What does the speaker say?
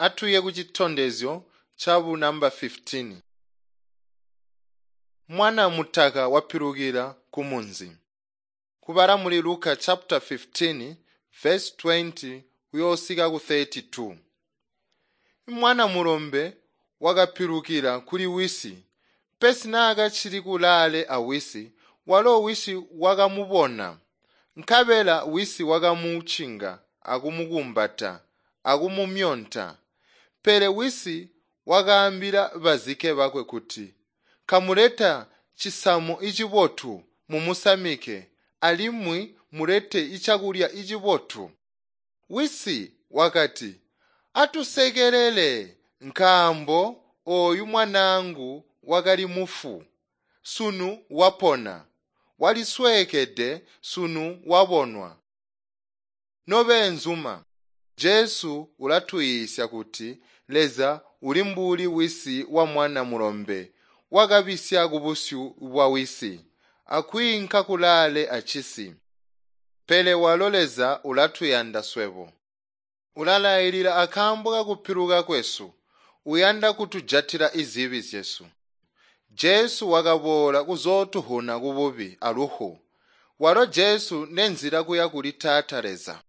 Atuye kucitondezyo cabu namba 15. Mwana mutaka wapilukila kumunzi. Kubala muli Luka chapter 15 verse 20 kuyosika ku 32. Mwana mulombe wakapilukila kuli wisi, pesi naakacili kulaale awisi, walo wisi wakamubona. Nkabela wisi wakamucinga akumukumbata akumumyonta. Pele wisi wakaambila bazike bakwe kuti, "Kamuleta cisamo icibotu mumusamike, alimwi mulete icakulya icibotu." Wisi wakati, "Atusekelele, nkaambo ooyu mwanaangu wakali mufu, sunu wapona, walisweekede sunu wabonwa." Nobeenzuma, Jesu ulatuyiisya kuti Leza uli mbuli wisi wa mwana mulombe wakabisya kubusyu bwa wisi akwiinka kulaale acisi. Pele walo Leza ulatuyanda swebo. Ulalailila akaambo kakupiluka kwesu, uyanda kutujatila izibi zyesu. Jesu wakaboola kuzootuhuna kububi aluhu. Walo Jesu nenzila kuya kuli Taata Leza.